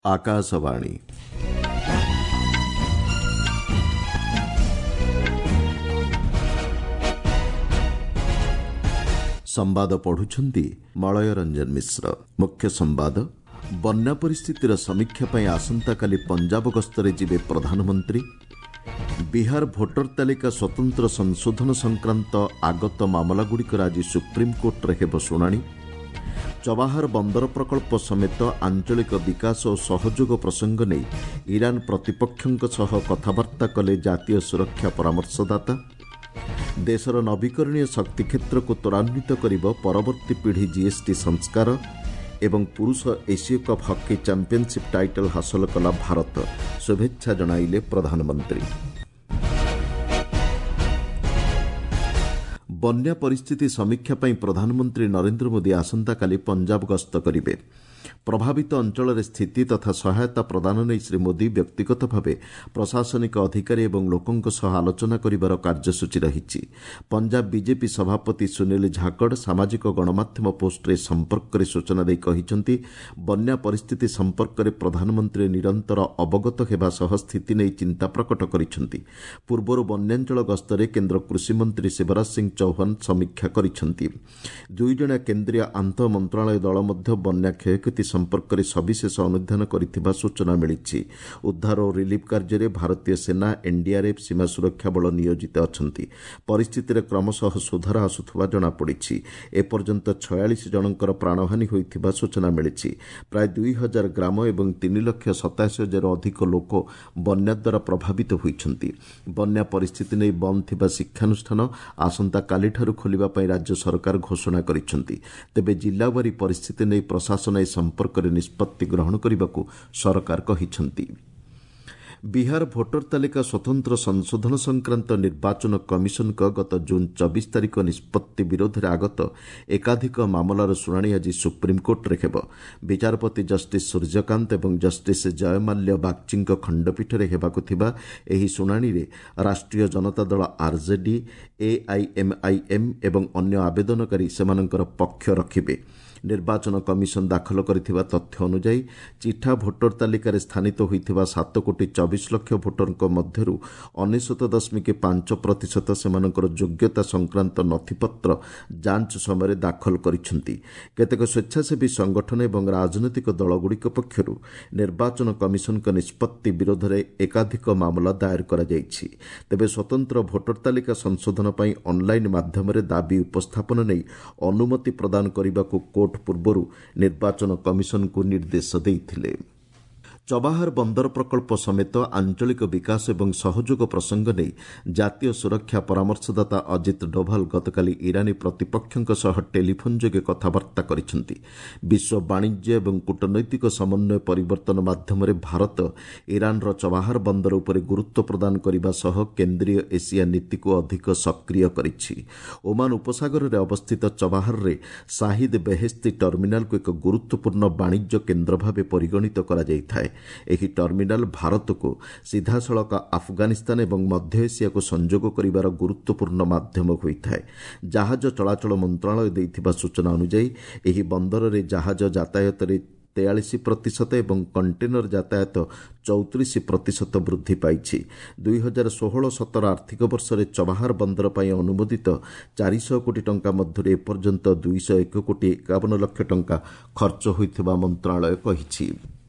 ଆକାଶବାଣୀ। ସମ୍ବାଦ ପଢୁଛନ୍ତି ମଳୟ ରଞ୍ଜନ ମିଶ୍ର। ମୁଖ୍ୟ ସମ୍ବାଦ। ବନ୍ୟା ପରିସ୍ଥିତିର ସମୀକ୍ଷା ପାଇଁ ଆସନ୍ତାକାଲି ପଞ୍ଜାବ ଗସ୍ତରେ ଯିବେ ପ୍ରଧାନମନ୍ତ୍ରୀ। ବିହାର ଭୋଟର ତାଲିକା ସ୍ୱତନ୍ତ୍ର ସଂଶୋଧନ ସଂକ୍ରାନ୍ତ ଆଗତ ମାମଲାଗୁଡ଼ିକର ଆଜି ସୁପ୍ରିମକୋର୍ଟରେ ହେବ ଶୁଣାଣି। ଚବାହାର ବନ୍ଦର ପ୍ରକଳ୍ପ ସମେତ ଆଞ୍ଚଳିକ ବିକାଶ ଓ ସହଯୋଗ ପ୍ରସଙ୍ଗ ନେଇ ଇରାନ ପ୍ରତିପକ୍ଷଙ୍କ ସହ କଥାବାର୍ତ୍ତା କଲେ ଜାତୀୟ ସୁରକ୍ଷା ପରାମର୍ଶଦାତା। ଦେଶର ନବୀକରଣୀୟ ଶକ୍ତି କ୍ଷେତ୍ରକୁ ତ୍ୱରାନ୍ୱିତ କରିବ ପରବର୍ତ୍ତୀ ପିଢ଼ି ଜିଏସ୍ଟି ସଂସ୍କାର। ଏବଂ ପୁରୁଷ ଏସୀୟ କପ୍ ହକି ଚାମ୍ପିୟନସିପ୍ ଟାଇଟଲ୍ ହାସଲ କଲା ଭାରତ, ଶୁଭେଚ୍ଛା ଜଣାଇଲେ ପ୍ରଧାନମନ୍ତ୍ରୀ। ବନ୍ୟା ପରିସ୍ଥିତି ସମୀକ୍ଷା ପାଇଁ ପ୍ରଧାନମନ୍ତ୍ରୀ ନରେନ୍ଦ୍ର ମୋଦି ଆସନ୍ତାକାଲି ପଞ୍ଜାବ ଗସ୍ତ କରିବେ। ପ୍ରଭାବିତ ଅଞ୍ଚଳରେ ସ୍ଥିତି ତଥା ସହାୟତା ପ୍ରଦାନ ନେଇ ଶ୍ରୀ ମୋଦି ବ୍ୟକ୍ତିଗତ ଭାବେ ପ୍ରଶାସନିକ ଅଧିକାରୀ ଏବଂ ଲୋକଙ୍କ ସହ ଆଲୋଚନା କରିବାର କାର୍ଯ୍ୟସୂଚୀ ରହିଛି। ପଞ୍ଜାବ ବିଜେପି ସଭାପତି ସୁନୀଲ ଝାକଡ଼ ସାମାଜିକ ଗଣମାଧ୍ୟମ ପୋଷ୍ଟରେ ଏ ସମ୍ପର୍କରେ ସୂଚନା ଦେଇ କହିଛନ୍ତି, ବନ୍ୟା ପରିସ୍ଥିତି ସମ୍ପର୍କରେ ପ୍ରଧାନମନ୍ତ୍ରୀ ନିରନ୍ତର ଅବଗତ ହେବା ସହ ସ୍ଥିତି ନେଇ ଚିନ୍ତା ପ୍ରକଟ କରିଛନ୍ତି। ପୂର୍ବରୁ ବନ୍ୟାଞ୍ଚଳ ଗସ୍ତରେ କେନ୍ଦ୍ର କୃଷିମନ୍ତ୍ରୀ ଶିବରାଜ ସିଂ ଚୌହାନ ସମୀକ୍ଷା କରିଛନ୍ତି। ଦୁଇଜଣିଆ କେନ୍ଦ୍ରୀୟ ଆନ୍ତଃ ମନ୍ତ୍ରଣାଳୟ ଦଳ ମଧ୍ୟ ବନ୍ୟା କ୍ଷୟକ୍ଷତି ସମ୍ପର୍କରେ ସବିଶେଷ ଅନୁଧ୍ୟାନ କରିଥିବା ସୂଚନା ମିଳିଛି। ଉଦ୍ଧାର ଓ ରିଲିଫ୍ କାର୍ଯ୍ୟରେ ଭାରତୀୟ ସେନା, ଏନ୍ଡିଆର୍ଏଫ୍, ସୀମା ସୁରକ୍ଷା ବଳ ନିୟୋଜିତ ଅଛନ୍ତି। ପରିସ୍ଥିତିରେ କ୍ରମଶଃ ସୁଧାର ଆସୁଥିବା ଜଣାପଡ଼ିଛି। ଏପର୍ଯ୍ୟନ୍ତ 46 ଜଣଙ୍କର ପ୍ରାଣହାନୀ ହୋଇଥିବା ସୂଚନା ମିଳିଛି। ପ୍ରାୟ 2000 ଗ୍ରାମ ଏବଂ 3,87,000ରୁ ଅଧିକ ଲୋକ ବନ୍ୟା ଦ୍ୱାରା ପ୍ରଭାବିତ ହୋଇଛନ୍ତି। ବନ୍ୟା ପରିସ୍ଥିତି ନେଇ ବନ୍ଦ ଥିବା ଶିକ୍ଷାନୁଷ୍ଠାନ ଆସନ୍ତାକାଲିଠାରୁ ଖୋଲିବା ପାଇଁ ରାଜ୍ୟ ସରକାର ଘୋଷଣା କରିଛନ୍ତି। ତେବେ ଜିଲ୍ଲାୱାରୀ ପରିସ୍ଥିତି ନେଇ ପ୍ରଶାସନ ଏ ସମ୍ପର୍କରେ ନିଷ୍ପତ୍ତି ଗ୍ରହଣ କରିବାକୁ ସରକାର କହିଛନ୍ତି। ବିହାର ଭୋଟର ତାଲିକା ସ୍ୱତନ୍ତ୍ର ସଂଶୋଧନ ସଂକ୍ରାନ୍ତ ନିର୍ବାଚନ କମିଶନଙ୍କ ଗତ ଜୁନ୍ 24 ତାରିଖ ନିଷ୍ପତ୍ତି ବିରୋଧରେ ଆଗତ ଏକାଧିକ ମାମଲାର ଶୁଣାଣି ଆଜି ସୁପ୍ରିମକୋର୍ଟରେ ହେବ। ବିଚାରପତି ଜଷ୍ଟିସ୍ ସୂର୍ଯ୍ୟକାନ୍ତ ଏବଂ ଜଷ୍ଟିସ୍ ଜୟମାଲ୍ୟ ବାଗ୍ଚୀଙ୍କ ଖଣ୍ଡପୀଠରେ ହେବାକୁ ଥିବା ଏହି ଶୁଣାଣିରେ ରାଷ୍ଟ୍ରୀୟ ଜନତା ଦଳ, ଆର୍ଜେଡି, ଏଆଇଏମ୍ଆଇଏମ୍ ଏବଂ ଅନ୍ୟ ଆବେଦନକାରୀ ସେମାନଙ୍କର ପକ୍ଷ ରଖିବେ। ନିର୍ବାଚନ କମିଶନ ଦାଖଲ କରିଥିବା ତଥ୍ୟ ଅନୁଯାୟୀ ଚିଠା ଭୋଟର ତାଲିକାରେ ସ୍ଥାନିତ ହୋଇଥିବା 7 କୋଟି 24 ଲକ୍ଷ ଭୋଟରଙ୍କ ମଧ୍ୟରୁ 99.5% ସେମାନଙ୍କର ଯୋଗ୍ୟତା ସଂକ୍ରାନ୍ତ ନଥିପତ୍ର ଯାଞ୍ଚ ସମୟରେ ଦାଖଲ କରିଛନ୍ତି। କେତେକ ସ୍ୱେଚ୍ଛାସେବୀ ସଂଗଠନ ଏବଂ ରାଜନୈତିକ ଦଳଗୁଡ଼ିକ ପକ୍ଷରୁ ନିର୍ବାଚନ କମିଶନଙ୍କ ନିଷ୍ପତ୍ତି ବିରୋଧରେ ଏକାଧିକ ମାମଲା ଦାୟର କରାଯାଇଛି। ତେବେ ସ୍ୱତନ୍ତ୍ର ଭୋଟର ତାଲିକା ସଂଶୋଧନ ପାଇଁ ଅନ୍ଲାଇନ୍ ମାଧ୍ୟମରେ ଦାବି ଉପସ୍ଥାପନ ନେଇ ଅନୁମତି ପ୍ରଦାନ କରିବାକୁ କୋର୍ଟ ପୂର୍ବରୁ ନିର୍ବାଚନ କମିଶନଙ୍କୁ ନିର୍ଦ୍ଦେଶ ଦେଇଥିଲେ। ଚବାହାର ବନ୍ଦର ପ୍ରକଳ୍ପ ସମେତ ଆଞ୍ଚଳିକ ବିକାଶ ଏବଂ ସହଯୋଗ ପ୍ରସଙ୍ଗ ନେଇ ଜାତୀୟ ସୁରକ୍ଷା ପରାମର୍ଶଦାତା ଅଜିତ ଡୋଭାଲ ଗତକାଲି ଇରାନୀ ପ୍ରତିପକ୍ଷଙ୍କ ସହ ଟେଲିଫୋନ୍ ଯୋଗେ କଥାବାର୍ତ୍ତା କରିଛନ୍ତି। ବିଶ୍ୱ ବାଣିଜ୍ୟ ଏବଂ କୂଟନୈତିକ ସମନ୍ୱୟ ପରିବର୍ତ୍ତନ ମାଧ୍ୟମରେ ଭାରତ ଇରାନର ଚବାହାର ବନ୍ଦର ଉପରେ ଗୁରୁତ୍ୱ ପ୍ରଦାନ କରିବା ସହ କେନ୍ଦ୍ରୀୟ ଏସିଆ ନୀତିକୁ ଅଧିକ ସକ୍ରିୟ କରିଛି। ଓମାନ ଉପସାଗରରେ ଅବସ୍ଥିତ ଚବାହାରରେ ସାହିଦ ବେହେସ୍ତି ଟର୍ମିନାଲକୁ ଏକ ଗୁରୁତ୍ୱପୂର୍ଣ୍ଣ ବାଣିଜ୍ୟ କେନ୍ଦ୍ର ଭାବେ ପରିଗଣିତ କରାଯାଇଥାଏ। ଏହି ଟର୍ମିନାଲ ଭାରତକୁ ସିଧାସଳଖ ଆଫଗାନିସ୍ତାନ ଏବଂ ମଧ୍ୟ ଏସିଆକୁ ସଂଯୋଗ କରିବାର ଗୁରୁତ୍ୱପୂର୍ଣ୍ଣ ମାଧ୍ୟମ ହୋଇଥାଏ। ଜାହାଜ ଚଳାଚଳ ମନ୍ତ୍ରଣାଳୟ ଦେଇଥିବା ସୂଚନା ଅନୁଯାୟୀ ଏହି ବନ୍ଦରରେ ଜାହାଜ ଯାତାୟାତରେ 43% ଏବଂ କଣ୍ଟେନର ଯାତାୟାତ 34% ବୃଦ୍ଧି ପାଇଛି। 2016-17 ଆର୍ଥିକ ବର୍ଷରେ ଚବାହାର ବନ୍ଦର ପାଇଁ ଅନୁମୋଦିତ 400 କୋଟି ଟଙ୍କା ମଧ୍ୟରୁ ଏପର୍ଯ୍ୟନ୍ତ 201 କୋଟି 51 ଲକ୍ଷ ଟଙ୍କା ଖର୍ଚ୍ଚ ହୋଇଥିବା ମନ୍ତ୍ରଣାଳୟ କହିଛି।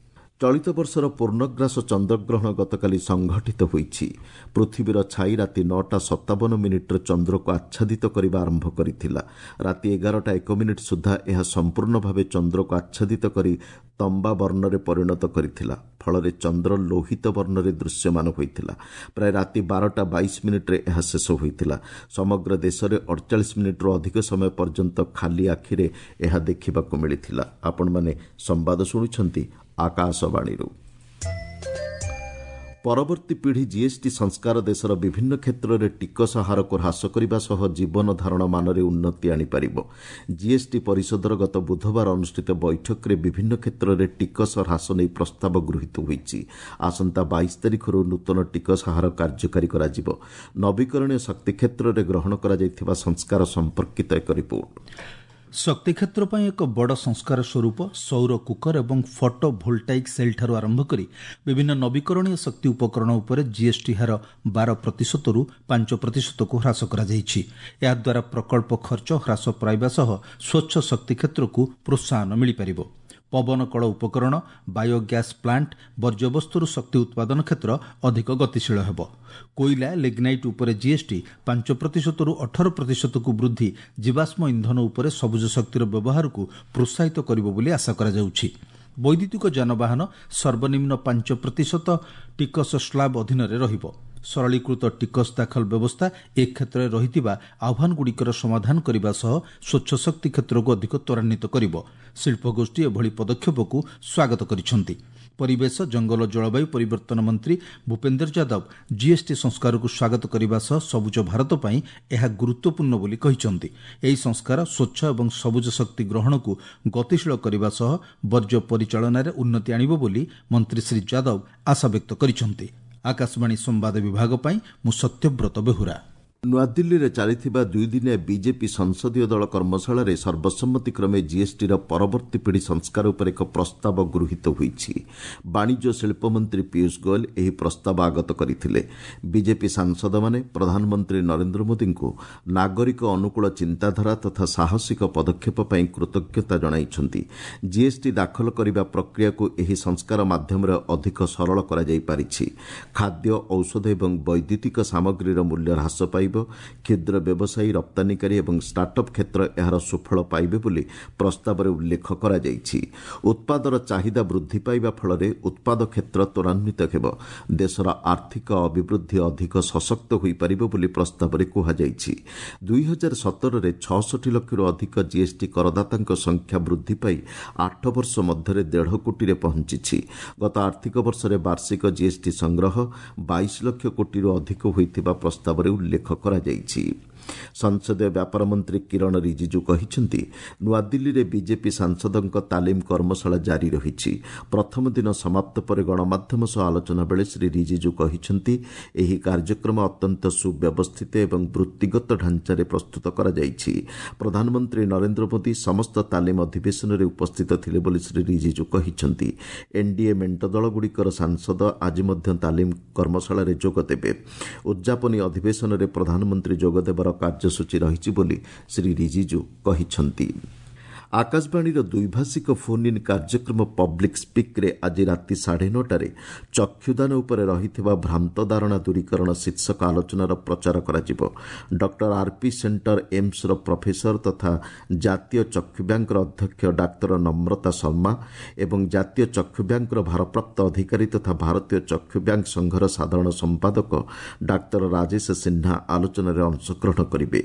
ଚଳିତ ବର୍ଷର ପୂର୍ଣ୍ଣଗ୍ରାସ ଚନ୍ଦ୍ରଗ୍ରହଣ ଗତକାଲି ସଂଘଟିତ ହୋଇଛି। ପୃଥିବୀର ଛାଇ ରାତି 9ଟା 57 ମିନିଟ୍ରେ ଚନ୍ଦ୍ରକୁ ଆଚ୍ଛାଦିତ କରିବା ଆରମ୍ଭ କରିଥିଲା। ରାତି 11ଟା 1 ମିନିଟ୍ ସୁଦ୍ଧା ଏହା ସମ୍ପୂର୍ଣ୍ଣ ଭାବେ ଚନ୍ଦ୍ରକୁ ଆଚ୍ଛାଦିତ କରି ତମ୍ବା ବର୍ଣ୍ଣରେ ପରିଣତ କରିଥିଲା। ଫଳରେ ଚନ୍ଦ୍ର ଲୋହିତ ବର୍ଣ୍ଣରେ ଦୃଶ୍ୟମାନ ହୋଇଥିଲା। ପ୍ରାୟ ରାତି 12ଟା 22 ମିନିଟ୍ରେ ଏହା ଶେଷ ହୋଇଥିଲା। ସମଗ୍ର ଦେଶରେ 48 ମିନିଟ୍ରୁ ଅଧିକ ସମୟ ପର୍ଯ୍ୟନ୍ତ ଖାଲି ଆଖିରେ ଏହା ଦେଖିବାକୁ ମିଳିଥିଲା। ଆପଣମାନେ ସମ୍ବାଦ ଶୁଣୁଛନ୍ତି ଆକାଶବାଣୀରୁ। ପରବର୍ତ୍ତୀ ପିଢ଼ି ଜିଏସ୍ଟି ସଂସ୍କାର ଦେଶର ବିଭିନ୍ନ କ୍ଷେତ୍ରରେ ଟିକସ ହାରକୁ ହ୍ରାସ କରିବା ସହ ଜୀବନ ଧାରଣ ମାନରେ ଉନ୍ନତି ଆଣିପାରିବ। ଜିଏସ୍ଟି ପରିଷଦର ଗତ ବୁଧବାର ଅନୁଷ୍ଠିତ ବୈଠକରେ ବିଭିନ୍ନ କ୍ଷେତ୍ରରେ ଟିକସ ହ୍ରାସ ନେଇ ପ୍ରସ୍ତାବ ଗୃହୀତ ହୋଇଛି। ଆସନ୍ତା 22 ତାରିଖରୁ ନୂତନ ଟିକସ ହାର କାର୍ଯ୍ୟକାରୀ କରାଯିବ। ନବୀକରଣୀୟ ଶକ୍ତି କ୍ଷେତ୍ରରେ ଗ୍ରହଣ କରାଯାଇଥିବା ସଂସ୍କାର ସମ୍ପର୍କିତ ଏକ ରିପୋର୍ଟ। ଶକ୍ତି କ୍ଷେତ୍ର ପାଇଁ ଏକ ବଡ଼ ସଂସ୍କାର ସ୍ୱରୂପ ସୌର କୁକର ଏବଂ ଫଟୋ ଭୋଲ୍ଟାଇକ୍ ସେଲ୍ଠାରୁ ଆରମ୍ଭ କରି ବିଭିନ୍ନ ନବୀକରଣୀୟ ଶକ୍ତି ଉପକରଣ ଉପରେ ଜିଏସ୍ଟି ହାର 12 ପ୍ରତିଶତରୁ 5 ପ୍ରତିଶତକୁ ହ୍ରାସ କରାଯାଇଛି। ଏହାଦ୍ୱାରା ପ୍ରକଳ୍ପ ଖର୍ଚ୍ଚ ହ୍ରାସ ପାଇବା ସହ ସ୍ୱଚ୍ଛ ଶକ୍ତି କ୍ଷେତ୍ରକୁ ପ୍ରୋତ୍ସାହନ ମିଳିପାରିବ। ପବନ କଳ ଉପକରଣ, ବାୟୋଗ୍ୟାସ୍ ପ୍ଲାଣ୍ଟ, ବର୍ଜ୍ୟବସ୍ତୁରୁ ଶକ୍ତି ଉତ୍ପାଦନ କ୍ଷେତ୍ର ଅଧିକ ଗତିଶୀଳ ହେବ। କୋଇଲା, ଲିଗ୍ନାଇଟ୍ ଉପରେ ଜିଏସ୍ଟି 5 ପ୍ରତିଶତରୁ 18 ପ୍ରତିଶତକୁ ବୃଦ୍ଧି ଜୀବାଶ୍ମ ଇନ୍ଧନ ଉପରେ ସବୁଜ ଶକ୍ତିର ବ୍ୟବହାରକୁ ପ୍ରୋତ୍ସାହିତ କରିବ ବୋଲି ଆଶା କରାଯାଉଛି। ବୈଦ୍ୟୁତିକ ଯାନବାହନ ସର୍ବନିମ୍ନ 5 ପ୍ରତିଶତ ଟିକସ ସ୍ଲାବ୍ ଅଧୀନରେ ରହିବ। ସରଳୀକୃତ ଟିକସ ଦାଖଲ ବ୍ୟବସ୍ଥା ଏ କ୍ଷେତ୍ରରେ ରହିଥିବା ଆହ୍ୱାନଗୁଡ଼ିକର ସମାଧାନ କରିବା ସହ ସ୍ୱଚ୍ଛ ଶକ୍ତି କ୍ଷେତ୍ରକୁ ଅଧିକ ତ୍ୱରାନ୍ୱିତ କରିବ। ଶିଳ୍ପଗୋଷ୍ଠୀ ଏଭଳି ପଦକ୍ଷେପକୁ ସ୍ୱାଗତ କରିଛନ୍ତି। ପରିବେଶ, ଜଙ୍ଗଲ, ଜଳବାୟୁ ପରିବର୍ତ୍ତନ ମନ୍ତ୍ରୀ ଭୂପେନ୍ଦ୍ର ଯାଦବ ଜିଏସ୍ଟି ସଂସ୍କାରକୁ ସ୍ୱାଗତ କରିବା ସହ ସବୁଜ ଭାରତ ପାଇଁ ଏହା ଗୁରୁତ୍ୱପୂର୍ଣ୍ଣ ବୋଲି କହିଛନ୍ତି। ଏହି ସଂସ୍କାର ସ୍ୱଚ୍ଛ ଏବଂ ସବୁଜ ଶକ୍ତି ଗ୍ରହଣକୁ ଗତିଶୀଳ କରିବା ସହ ବର୍ଜ୍ୟ ପରିଚାଳନାରେ ଉନ୍ନତି ଆଣିବ ବୋଲି ମନ୍ତ୍ରୀ ଶ୍ରୀ ଯାଦବ ଆଶାବ୍ୟକ୍ତ କରିଛନ୍ତି। ଆକାଶବାଣୀ ସମ୍ବାଦ ବିଭାଗ ପାଇଁ ମୁଁ ସତ୍ୟବ୍ରତ ବେହୁରା। ନୂଆଦିଲ୍ଲୀରେ ଚାଲିଥିବା ଦୁଇଦିନିଆ ବିଜେପି ସଂସଦୀୟ ଦଳ କର୍ମଶାଳାରେ ସର୍ବସମ୍ମତିକ୍ରମେ ଜିଏସ୍ଟିର ପରବର୍ତ୍ତୀ ପିଢ଼ି ସଂସ୍କାର ଉପରେ ଏକ ପ୍ରସ୍ତାବ ଗୃହୀତ ହୋଇଛି। ବାଣିଜ୍ୟ ଶିଳ୍ପମନ୍ତ୍ରୀ ପୀୟୁଷ ଗୋଏଲ ଏହି ପ୍ରସ୍ତାବ ଆଗତ କରିଥିଲେ। ବିଜେପି ସାଂସଦମାନେ ପ୍ରଧାନମନ୍ତ୍ରୀ ନରେନ୍ଦ୍ର ମୋଦିଙ୍କୁ ନାଗରିକ ଅନୁକୂଳ ଚିନ୍ତାଧାରା ତଥା ସାହସିକ ପଦକ୍ଷେପ ପାଇଁ କୃତଜ୍ଞତା ଜଣାଇଛନ୍ତି। ଜିଏସ୍ଟି ଦାଖଲ କରିବା ପ୍ରକ୍ରିୟାକୁ ଏହି ସଂସ୍କାର ମାଧ୍ୟମରେ ଅଧିକ ସରଳ କରାଯାଇପାରିଛି। ଖାଦ୍ୟ, ଔଷଧ ଏବଂ ବୈଦ୍ୟୁତିକ ସାମଗ୍ରୀର ମୂଲ୍ୟ ହ୍ରାସ ପାଇବ। କ୍ଷୁଦ୍ର ବ୍ୟବସାୟୀ, ରପ୍ତାନୀକାରୀ ଏବଂ ଷ୍ଟାର୍ଟଅପ୍ କ୍ଷେତ୍ର ଏହାର ସୁଫଳ ପାଇବେ ବୋଲି ପ୍ରସ୍ତାବରେ ଉଲ୍ଲେଖ କରାଯାଇଛି। ଉତ୍ପାଦର ଚାହିଦା ବୃଦ୍ଧି ପାଇବା ଫଳରେ ଉତ୍ପାଦ କ୍ଷେତ୍ର ତ୍ୱରାନ୍ୱିତ ହେବ। ଦେଶର ଆର୍ଥିକ ଅଭିବୃଦ୍ଧି ଅଧିକ ସଶକ୍ତ ହୋଇପାରିବ ବୋଲି ପ୍ରସ୍ତାବରେ କୁହାଯାଇଛି। 2017ରେ 66 ଲକ୍ଷରୁ ଅଧିକ ଜିଏସ୍ଟି କରଦାତାଙ୍କ ସଂଖ୍ୟା ବୃଦ୍ଧି ପାଇ 8 ବର୍ଷ ମଧ୍ୟରେ 1.5 କୋଟିରେ ପହଞ୍ଚିଛି। ଗତ ଆର୍ଥିକ ବର୍ଷରେ ବାର୍ଷିକ ଜିଏସ୍ଟି ସଂଗ୍ରହ 22 ଲକ୍ଷ କୋଟିରୁ ଅଧିକ ହୋଇଥିବା ପ୍ରସ୍ତାବରେ ଉଲ୍ଲେଖ କରାଯାଇଛି। ସଂସଦୀୟ ବ୍ୟାପାର ମନ୍ତ୍ରୀ କିରଣ ରିଜିଜୁ କହିଛନ୍ତି, ନୂଆଦିଲ୍ଲୀରେ ବିଜେପି ସାଂସଦଙ୍କ ତାଲିମ କର୍ମଶାଳା ଜାରି ରହିଛି। ପ୍ରଥମ ଦିନ ସମାପ୍ତ ପରେ ଗଣମାଧ୍ୟମ ସହ ଆଲୋଚନା ବେଳେ ଶ୍ରୀ ରିଜିଜୁ କହିଛନ୍ତି, ଏହି କାର୍ଯ୍ୟକ୍ରମ ଅତ୍ୟନ୍ତ ସୁବ୍ୟବସ୍ଥିତ ଏବଂ ବୃତ୍ତିଗତ ଢାଞ୍ଚାରେ ପ୍ରସ୍ତୁତ କରାଯାଇଛି। ପ୍ରଧାନମନ୍ତ୍ରୀ ନରେନ୍ଦ୍ର ମୋଦି ସମସ୍ତ ତାଲିମ ଅଧିବେଶନରେ ଉପସ୍ଥିତ ଥିଲେ ବୋଲି ଶ୍ରୀ ରିଜିଜୁ କହିଛନ୍ତି। ଏନ୍ଡିଏ ମେଣ୍ଟ ଦଳଗୁଡ଼ିକର ସାଂସଦ ଆଜି ମଧ୍ୟ ତାଲିମ କର୍ମଶାଳାରେ ଯୋଗଦେବେ। ଉଦ୍ଯାପନୀ ଅଧିବେଶନରେ ପ୍ରଧାନମନ୍ତ୍ରୀ ଯୋଗଦେବାର କାର୍ଯ୍ୟସୂଚୀ ରହିଛି ବୋଲି ଶ୍ରୀ ରିଜିଜୁ କହିଛନ୍ତି। ଆକାଶବାଣୀର ଦ୍ୱିଭାଷିକ ଫୋନ୍ ଇନ୍ କାର୍ଯ୍ୟକ୍ରମ ପବ୍ଲିକ୍ ସ୍ପିକ୍ରେ ଆଜି ରାତି 9:30ରେ ଚକ୍ଷୁଦାନ ଉପରେ ରହିଥିବା ଭ୍ରାନ୍ତ ଧାରଣା ଦୂରୀକରଣ ଶୀର୍ଷକ ଆଲୋଚନାର ପ୍ରଚାର କରାଯିବ। ଡକ୍ଟର ଆର୍ପି ସେଣ୍ଟର ଏମ୍ସର ପ୍ରଫେସର ତଥା ଜାତୀୟ ଚକ୍ଷୁ ବ୍ୟାଙ୍କର ଅଧ୍ୟକ୍ଷ ଡାକ୍ତର ନମ୍ରତା ଶର୍ମା ଏବଂ ଜାତୀୟ ଚକ୍ଷୁ ବ୍ୟାଙ୍କର ଭାରପ୍ରାପ୍ତ ଅଧିକାରୀ ତଥା ଭାରତୀୟ ଚକ୍ଷୁ ବ୍ୟାଙ୍କ ସଂଘର ସାଧାରଣ ସମ୍ପାଦକ ଡାକ୍ତର ରାଜେଶ ସିହ୍ନା ଆଲୋଚନାରେ ଅଂଶଗ୍ରହଣ କରିବେ।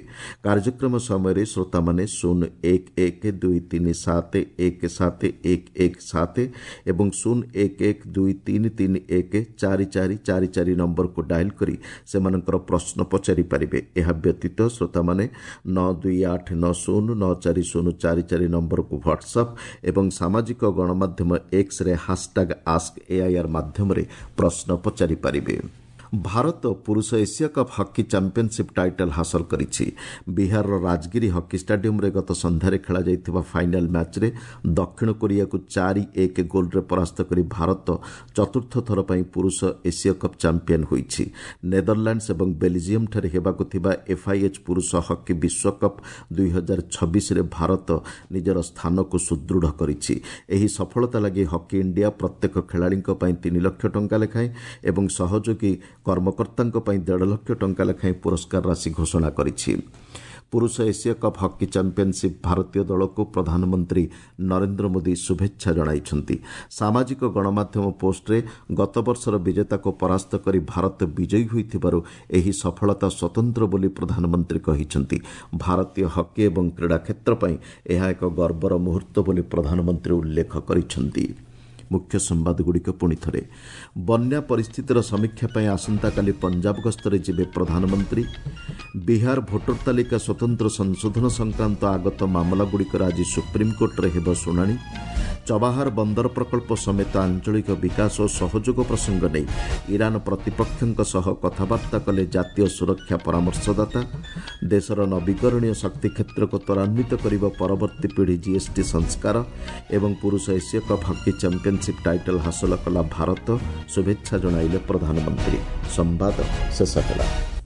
କାର୍ଯ୍ୟକ୍ରମ ସମୟରେ ଶ୍ରୋତାମାନେ 0 1 1 2 3 7 1 7 1 1 7 ଏବଂ 0 1 1 2 3 3 1 4 4 4 4 ନମ୍ବରକୁ ଡାଏଲ୍ କରି ସେମାନଙ୍କର ପ୍ରଶ୍ନ ପଚାରିପାରିବେ। ଏହା ବ୍ୟତୀତ ଶ୍ରୋତାମାନେ 9 2 8 9 0 9 4 0 4 4 ନମ୍ବରକୁ ହ୍ୱାଟ୍ସଆପ୍ ଏବଂ ସାମାଜିକ ଗଣମାଧ୍ୟମ ଏକ୍ସରେ ହାସଟ୍ୟାଗ୍ ଆସ୍କ ଏଆଇଆର୍ ମାଧ୍ୟମରେ ପ୍ରଶ୍ନ ପଚାରିପାରିବେ। ଭାରତ ପୁରୁଷ Asia cup hockey championship title ହାସଲ କରିଛି। ବିହାରର ରାଜଗିରି ହକି ଷ୍ଟାଡିୟମରେ ଗତ ସନ୍ଧ୍ୟାରେ ଖେଳାଯାଇଥିବା ଫାଇନାଲ ମ୍ୟାଚ୍ରେ ଦକ୍ଷିଣ କୋରିଆକୁ 4-1 ଗୋଲ୍ରେ ପରାସ୍ତ କରି ଭାରତ ଚତୁର୍ଥ ଥର ପାଇଁ ପୁରୁଷ ଏସିଆ କପ୍ ଚାମ୍ପିୟନ ହୋଇଛି। ନେଦରଲ୍ୟାଣ୍ଡସ୍ ଏବଂ ବେଲଜିୟମଠାରେ ହେବାକୁ ଥିବା ଏଫ୍ଆଇଏଚ୍ ପୁରୁଷ ହକି ବିଶ୍ୱକପ୍ 2026ରେ ଭାରତ ନିଜର ସ୍ଥାନକୁ ସୁଦୃଢ଼ କରିଛି। ଏହି ସଫଳତା ଲାଗି ହକି ଇଣ୍ଡିଆ ପ୍ରତ୍ୟେକ ଖେଳାଳିଙ୍କ ପାଇଁ 3 ଲକ୍ଷ ଟଙ୍କା ଲେଖାଏଁ ଏବଂ ସହଯୋଗୀ କର୍ମକର୍ତ୍ତାଙ୍କ ପାଇଁ 1.5 ଲକ୍ଷ ଟଙ୍କା ଲେଖାଏଁ ପୁରସ୍କାର ରାଶି ଘୋଷଣା କରିଛି। ପୁରୁଷ ଏସିଆ କପ୍ ହକି ଚାମ୍ପିୟନସିପ୍ ଭାରତୀୟ ଦଳକୁ ପ୍ରଧାନମନ୍ତ୍ରୀ ନରେନ୍ଦ୍ର ମୋଦି ଶୁଭେଚ୍ଛା ଜଣାଇଛନ୍ତି। ସାମାଜିକ ଗଣମାଧ୍ୟମ ପୋଷ୍ଟରେ ଗତବର୍ଷର ବିଜେତାକୁ ପରାସ୍ତ କରି ଭାରତ ବିଜୟୀ ହୋଇଥିବାରୁ ଏହି ସଫଳତା ସ୍ୱତନ୍ତ୍ର ବୋଲି ପ୍ରଧାନମନ୍ତ୍ରୀ କହିଛନ୍ତି। ଭାରତୀୟ ହକି ଏବଂ କ୍ରୀଡ଼ା କ୍ଷେତ୍ର ପାଇଁ ଏହା ଏକ ଗର୍ବର ମୁହୂର୍ତ୍ତ ବୋଲି ପ୍ରଧାନମନ୍ତ୍ରୀ ଉଲ୍ଲେଖ କରିଛନ୍ତି। ମୁଖ୍ୟ ସମ୍ବାଦଗୁଡ଼ିକ ପୁଣି ଥରେ। ବନ୍ୟା ପରିସ୍ଥିତିର ସମୀକ୍ଷା ପାଇଁ ଆସନ୍ତାକାଲି ପଞ୍ଜାବ ଗସ୍ତରେ ଯିବେ ପ୍ରଧାନମନ୍ତ୍ରୀ। ବିହାର ଭୋଟର ତାଲିକା ସ୍ୱତନ୍ତ୍ର ସଂଶୋଧନ ସଂକ୍ରାନ୍ତ ଆଗତ ମାମଲାଗୁଡ଼ିକର ଆଜି ସୁପ୍ରିମକୋର୍ଟରେ ହେବ ଶୁଣାଣି। ଚବାହାର ବନ୍ଦର ପ୍ରକଳ୍ପ ସମେତ ଆଞ୍ଚଳିକ ବିକାଶ ଓ ସହଯୋଗ ପ୍ରସଙ୍ଗ ନେଇ ଇରାନ ପ୍ରତିପକ୍ଷଙ୍କ ସହ କଥାବାର୍ତ୍ତା କଲେ ଜାତୀୟ ସୁରକ୍ଷା ପରାମର୍ଶଦାତା। ଦେଶର ନବୀକରଣୀୟ ଶକ୍ତି କ୍ଷେତ୍ରକୁ ତ୍ୱରାନ୍ୱିତ କରିବ ପରବର୍ତ୍ତୀ ପିଢ଼ି ଜିଏସ୍ଟି ସଂସ୍କାର। ଏବଂ ପୁରୁଷ ଏସୀୟ କପ୍ ହକି ଚାମ୍ପିୟନସିପ୍ ଟାଇଟଲ୍ ହାସଲ କଲା ଭାରତ, ଶୁଭେଚ୍ଛା ଜଣାଇଲେ ପ୍ରଧାନମନ୍ତ୍ରୀ। ସମ୍ବାଦ ଶେଷ ହେଲା।